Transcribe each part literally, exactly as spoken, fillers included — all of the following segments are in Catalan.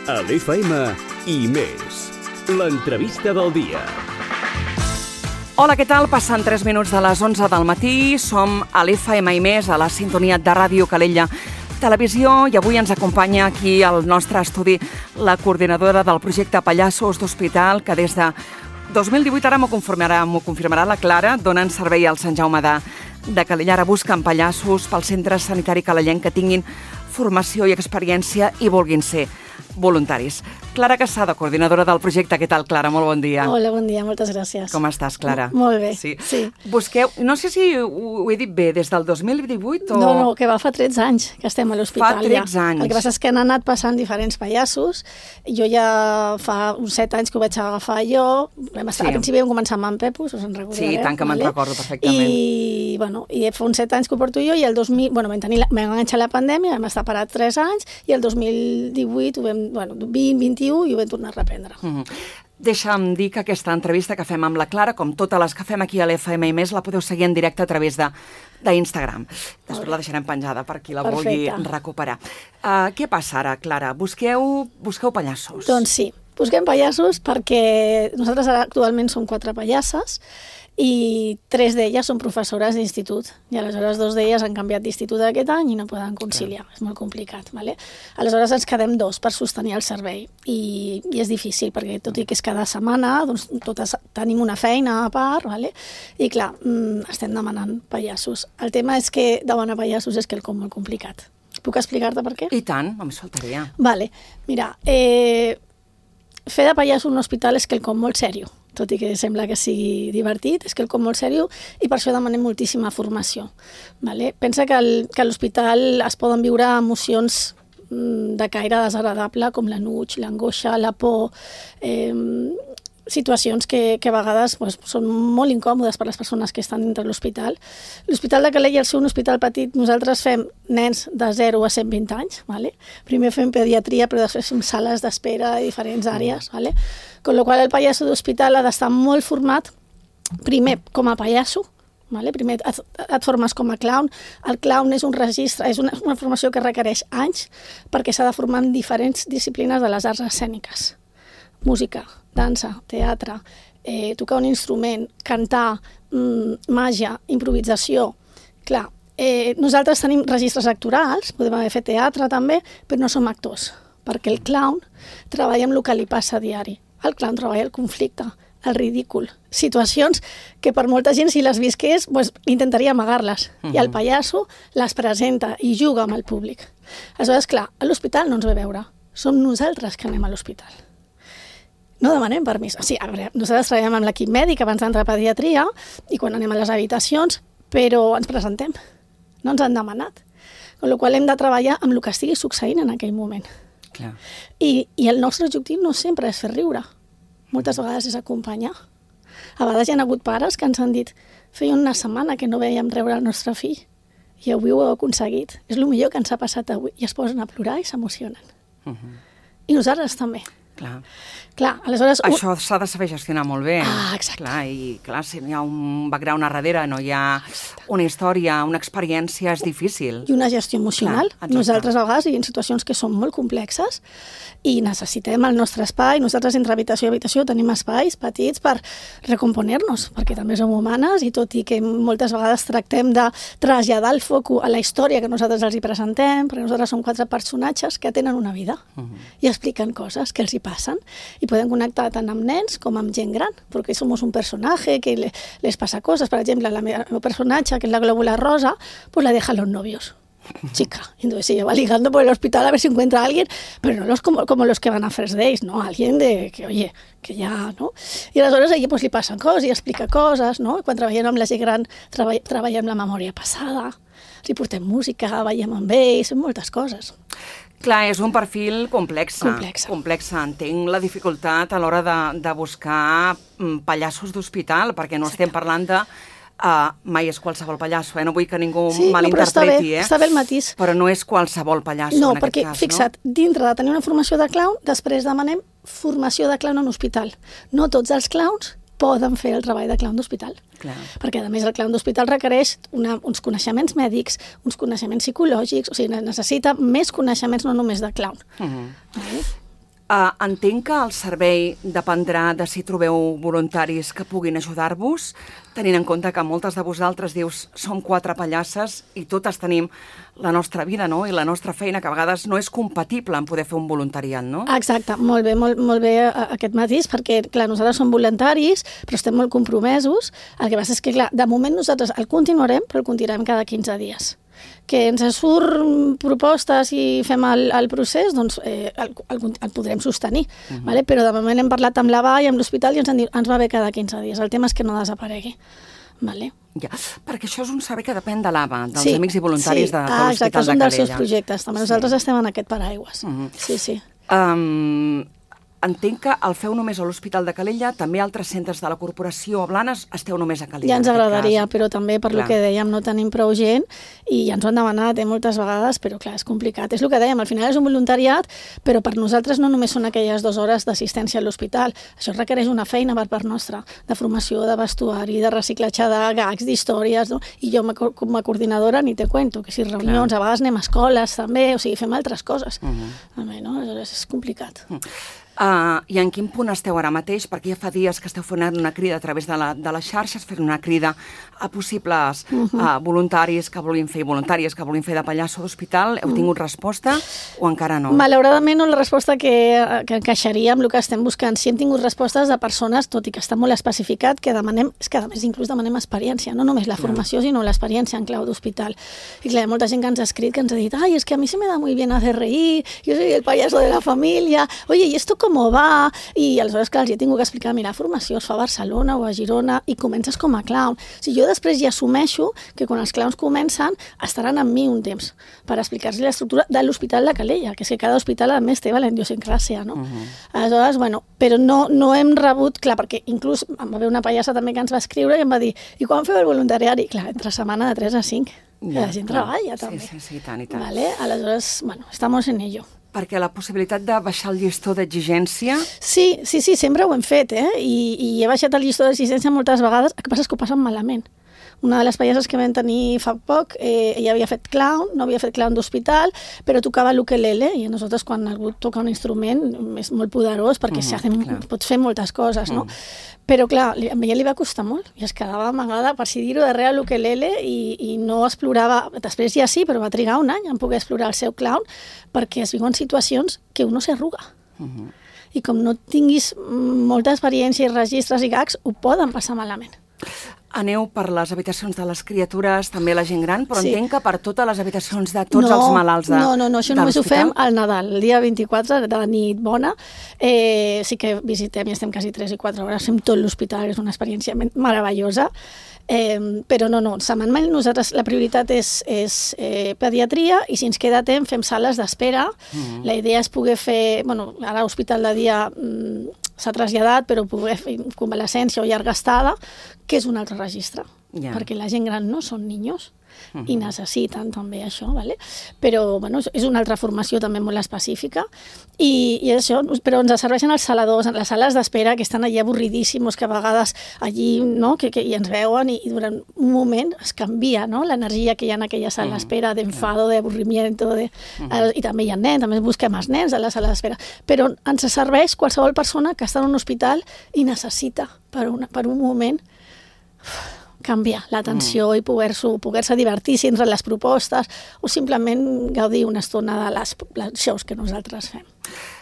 A l'F M i més. L'entrevista del dia. Hola, què tal? Passen tres minuts de les onze del matí. Som a l'F M i més, a la sintonia de Ràdio Calella Televisió, i avui ens acompanya aquí al nostre estudi la coordinadora del projecte Pallassos d'Hospital, que des de dos mil divuit, ara m'ho confirmarà, m'ho confirmarà la Clara, donen servei al Sant Jaume de, de Calella. Ara busquen pallassos pel centre sanitari calellenc que tinguin formació i experiència i vulguin ser voluntaris. Clara Casada, coordinadora del projecte. Què tal, Clara? Molt bon dia. Hola, bon dia, moltes gràcies. Com estàs, Clara? M molt bé, sí. sí. Busqueu, no sé si ho, ho he dit bé, des del dos mil divuit o... No, no, que va fa tretze anys que estem a l'hospital. Fa tretze anys. El que passa és que han anat passant diferents pallassos. Jo ja fa uns set anys que ho vaig agafar jo. Vam estar, sí. Al principi vam començar amb en Pepo, us en recordareu. Sí, tant que vale? Me'n recordo perfectament. I, bueno, i fa uns set anys que ho porto jo, i el dos mil... Bueno, vam, tenir la, vam enganxar la pandèmia, vam estar parat tres anys, i el dos mil divuit, ho vam, bueno, vint, vint-i-u, i ho vam tornar a reprendre. Mm-hmm. Deixa'm dir que aquesta entrevista que fem amb la Clara, com totes les que fem aquí a l'F M i més, la podeu seguir en directe a través de d'Instagram. Després la deixarem penjada per qui la Perfecte. vulgui recuperar. Uh, què passa ara, Clara? Busqueu, busqueu pallassos. Doncs sí, busquem pallassos perquè nosaltres ara actualment som quatre pallasses i tres d'elles són professores d'institut, i aleshores dos d'elles han canviat d'institut aquest any i no poden conciliar, és molt complicat. Vale? Aleshores ens quedem dos per sostenir el servei, i, i és difícil, perquè tot i que és cada setmana, doncs totes tenim una feina a part, vale? I clar, mmm, estem demanant pallassos. El tema és que demanar pallassos és quelcom molt complicat. Puc explicar-te per què? I tant, només faltaria. Vale, mira, eh, fer de pallasso en un hospital és quelcom molt seriós, tot i que sembla que sigui divertit, és quelcom molt seriós, i per això demanem moltíssima formació. Vale? Pensa que, el, que a l'hospital es poden viure emocions de caire desagradable, com l'enuig, l'angoixa, la por, eh, situacions que, que a vegades pues, són molt incòmodes per les persones que estan dintre l'hospital. L'Hospital de Calella, al ser un hospital petit, nosaltres fem nens de zero a cent vint anys. Vale? Primer fem pediatria, però després fem sales d'espera i diferents àrees. Vale? Con lo qual el pallasso d'hospital ha d'estar molt format, primer com a pallasso, vale? Primer et, et formes com a clown. El clown és un registre, és una, una formació que requereix anys perquè s'ha de formar en diferents disciplines de les arts escèniques. Música, dansa, teatre, eh, tocar un instrument, cantar, mmm, màgia, improvisació. Clar, eh, nosaltres tenim registres actorals, podem haver fet teatre també, però no som actors, perquè el clown treballa amb el que li passa a diari. El clown treballa el conflicte, el ridícul, situacions que per molta gent, si les visqués, pues, intentaria amagar-les. Uh-huh. I el pallasso les presenta i juga amb el públic. Aleshores, clar, a l'hospital no ens ve a veure. Som nosaltres que anem a l'hospital. No demanem permís. O sigui, a veure, nosaltres treballem amb l'equip mèdic abans d'entrar a pediatria i quan anem a les habitacions, però ens presentem. No ens han demanat. Amb la qual cosa hem de treballar amb el que estigui succeint en aquell moment. Clar. I, I el nostre objectiu no sempre és fer riure. Moltes vegades és acompanyar. A vegades hi ha hagut pares que ens han dit feia una setmana que no veiem riure el nostre fill i avui ho heu aconseguit. És el millor que ens ha passat avui. I es posen a plorar i s'emocionen. Uh-huh. I nosaltres també. Clar. Clar, aleshores... Això s'ha de saber gestionar molt bé. Ah, exacte. Clar, i clar, si no hi ha un background a darrere, no hi ha una història, una experiència, és difícil. I una gestió emocional. Clar, nosaltres a vegades hi ha situacions que són molt complexes i necessitem el nostre espai. Nosaltres entre habitació i habitació tenim espais petits per recomponer-nos, perquè també som humanes i tot i que moltes vegades tractem de traslladar el foc a la història que nosaltres els hi presentem, perquè nosaltres som quatre personatges que tenen una vida uh-huh. i expliquen coses que els hi passen i podem connectar tant amb nens com amb gent gran, perquè som un personatge que le, les passa coses. Per exemple, la meva, el meu personatge, que és la glóbula rosa, pues la deja a los novios. Chica. Entonces ella va ligando por el hospital a ver si encuentra a alguien, pero no los como, como los que van a First Days, ¿no? Alguien de que, oye, que ja, no? I aleshores a ella pues, li passen coses i explica coses, no? Quan treballem amb la gent gran, treball, treballem la memòria passada, li portem música, ballem amb ells, moltes coses. Clar, és un perfil complex. Complex. Complex. Entenc la dificultat a l'hora de, de buscar pallassos d'hospital, perquè no Exacte. Estem parlant de... Uh, mai és qualsevol pallasso, eh? No vull que ningú sí, malinterpreti, eh? Està bé el matís. Però no és qualsevol pallasso no, en aquest perquè, cas, fixa't, no? dintre de tenir una formació de clown, després demanem formació de clown en hospital. No tots els clowns poden fer el treball de clown d'hospital. Clar. Perquè, a més, el clown d'hospital requereix una, uns coneixements mèdics, uns coneixements psicològics, o sigui, necessita més coneixements, no només de clown. Uh-huh. Vale? Uh, entenc que el servei dependrà de si trobeu voluntaris que puguin ajudar-vos, tenint en compte que moltes de vosaltres dius som quatre pallasses i totes tenim la nostra vida, no?, i la nostra feina, que a vegades no és compatible en poder fer un voluntariat, no? Exacte, molt bé, molt, molt bé aquest matís, perquè, clar, nosaltres som voluntaris, però estem molt compromesos. El que passa és que, clar, de moment nosaltres el continuarem, però el continuarem cada quinze dies. Que ens surt propostes i fem el, el procés, doncs eh, el, el, el podrem sostenir. Uh-huh. Vale? Però de moment hem parlat amb l'A B A i amb l'hospital i ens han dit ens va bé cada quinze dies. El tema és que no desaparegui. Vale? Ja, perquè això és un servei que depèn de l'A B A, dels sí, amics i voluntaris sí. de, de ah, l'Hospital exacte, de Calella. és un dels seus projectes. També nosaltres sí. estem en aquest paraigües. Uh-huh. Sí, sí. Um, entenc que el feu només a l'Hospital de Calella, també altres centres de la corporació a Blanes esteu només a Calella. Ja ens agradaria, cas. Però també per clar. Lo que dèiem no tenim prou gent i ja ens ho han demanat eh, moltes vegades, però clar, és complicat. És el que dèiem, al final és un voluntariat, però per nosaltres no només són aquelles dues hores d'assistència a l'hospital. Això requereix una feina per part nostra, de formació, de vestuari, de reciclatge de gags, d'històries, no? I jo com a coordinadora ni te cuento, que si reunions, clar. A vegades anem a escoles també, o sigui, fem altres coses. Uh-huh. També, no? Aleshores és complicat. Uh-huh. Uh, I en quin punt esteu ara mateix? Perquè ja fa dies que esteu fent una crida a través de, la, de les xarxes, fent una crida a possibles uh-huh. uh, voluntaris que volien fer, voluntàries que volien fer de pallasso d'hospital. Heu tingut resposta o encara no? Malauradament no la resposta que, que encaixaria amb el que estem buscant. Sí hem tingut respostes de persones, tot i que està molt especificat, que demanem, és que a més inclús demanem experiència, no només la formació, sinó l'experiència en clau d'hospital. I clar, molta gent que ens ha escrit, que ens ha dit, ai, es que a mi se me da muy bien hacer reír, yo soy el payaso de la familia, oye, ¿y esto cómo va? I aleshores, clar, els he tingut que explicar, mira, formació es fa a Barcelona o a Girona i comences com a clown. O sigui, jo després ja assumeixo que quan els clowns comencen estaran amb mi un temps per explicar-los l'estructura de l'Hospital de Calella, que és que cada hospital a més té la idiosincràsia, no? Uh-huh. Aleshores, bueno, però no, no hem rebut, clar, perquè inclús em va haver una pallassa també que ens va escriure i em va dir, i quan feu el voluntariari? Clar, entre setmana de tres a cinc. Ja, la gent clar. Treballa també. Sí, sí, sí, tant i tant. Vale? Aleshores, bueno, estamos en ello. Perquè la possibilitat de baixar el llistó d'exigència... Sí, sí, sí, sempre ho hem fet, eh? I, i he baixat el llistó d'exigència moltes vegades. El que passa és que ho passen malament. Una de les pallasses que vam tenir fa poc, eh, ella havia fet clown, no havia fet clown d'hospital, però tocava l'ukelele, i a nosaltres quan algú toca un instrument és molt poderós perquè mm, hacen, pots fer moltes coses, no? Mm. Però clar, a ella li va costar molt i es quedava amagada, per si dir-ho, darrere l'ukelele i, i no explorava, després ja sí, però va trigar un any en poder explorar el seu clown perquè es viuen situacions que uno s'arruga. Mm-hmm. I com no tinguis molta experiència i registres i gags, ho poden passar malament. Aneu per les habitacions de les criatures, també la gent gran, però sí. Entenc que per totes les habitacions de tots no, els malalts de No, no, no, això només ho fem al Nadal, el dia vint-i-quatre de la nit bona. Eh, sí que visitem i estem quasi tres i quatre hores, fem tot l'hospital, és una experiència meravellosa. Eh, però no, no, setmanalment nosaltres la prioritat és, és eh, pediatria i si ens queda temps fem sales d'espera. Mm-hmm. La idea és poder fer, bueno, ara l'hospital de dia mm, s'ha traslladat, però poder fer convalescència o llarga estada, que és un altre registre, yeah. perquè la gent gran no són niños. Uh-huh. I necessiten també això, vale? Però bueno, és una altra formació també molt específica i, i això, però ens serveixen els saladors, les sales d'espera que estan allà avorridíssimos, que a vegades allí no, que, que, i ens veuen i, i durant un moment es canvia no? L'energia que hi ha en aquella sala d'espera, d'enfado, d'avorrimiento, de... uh-huh. i també hi ha nens, també busquem els nens a la sala d'espera, però ens serveix qualsevol persona que està en un hospital i necessita per, una, per un moment canviar l'atenció mm. i poder-se poder divertir entre les propostes o simplement gaudir una estona de les, les shows que nosaltres fem.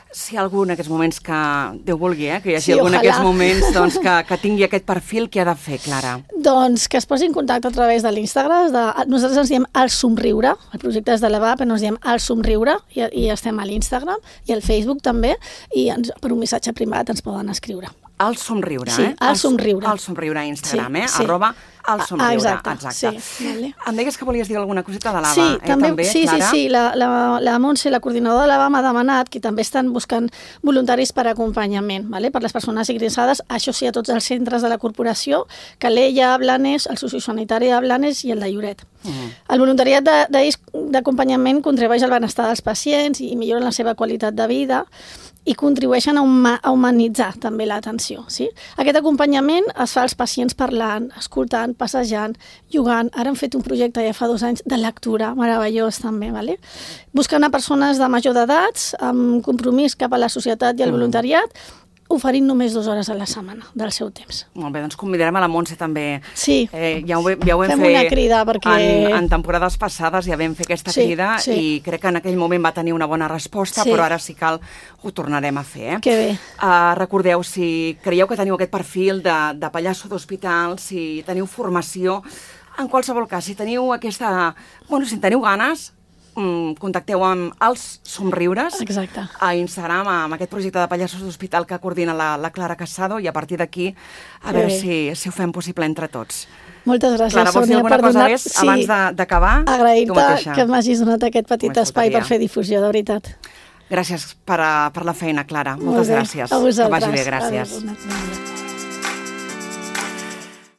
Si hi ha algú en aquests moments que, Déu vulgui, eh, que hi hagi sí, algú en ojalà. aquests moments doncs, que, que tingui aquest perfil, què ha de fer, Clara? Doncs que es posi en contacte a través de l'Instagram. De, nosaltres ens diem El Somriure, el projecte és de l'A B A, però ens diem El Somriure i, i estem a l'Instagram i al Facebook també i ens, per un missatge privat ens poden escriure. El Somriure, sí, eh? El Somriure. El Somriure a Instagram, sí, eh? Sí. Arroba El Somriure, exacte. exacte. Sí, vale. Em deies que volies dir alguna coseta de l'A B A, sí, eh? També, també, sí, Clara? sí, sí, la, la, la Montse, la coordinadora de l'A B A, m'ha demanat que també estan buscant voluntaris per acompanyament, vale? Per les persones ingressades, això sí, a tots els centres de la corporació, Calella, Blanes, el sociosanitari de Blanes i el de Lloret. Uh-huh. El voluntariat d'acompanyament contribueix al benestar dels pacients i millora la seva qualitat de vida i contribueixen a, huma, a humanitzar també l'atenció. Sí? Aquest acompanyament es fa als pacients parlant, escoltant, passejant, jugant. Ara hem fet un projecte ja fa dos anys de lectura, meravellós també, vale? Buscant a persones de major d'edats, amb compromís cap a la societat i el voluntariat, oferint només dues hores a la setmana del seu temps. Molt bé, doncs convidarem a la Montse també. Sí, eh, ja ho, ja ho vam fem fer una crida perquè... en, en temporades passades, ja vam fer aquesta Sí, crida sí. i crec que en aquell moment va tenir una bona resposta, Sí. però ara si cal ho tornarem a fer. Eh? Que bé. Uh, recordeu, si creieu que teniu aquest perfil de, de pallasso d'hospital, si teniu formació, en qualsevol cas, si teniu aquesta... Bueno, si en teniu ganes, contacteu amb Els Somriures Exacte. a Instagram amb aquest projecte de pallassos d'hospital que coordina la, la Clara Casado i a partir d'aquí a Que veure bé. si, si ho fem possible entre tots. Moltes gràcies, Clara, vols dir Sònia, alguna per cosa donar... més abans de- d'acabar? Tu Agrair-te mateixa. que m'hagis donat aquest petit Només espai per faltaria. fer difusió, de veritat. Gràcies per, a, per la feina, Clara. Molt Moltes bé. gràcies. A vosaltres. Que vagi bé, gràcies. Adéu, bona nit.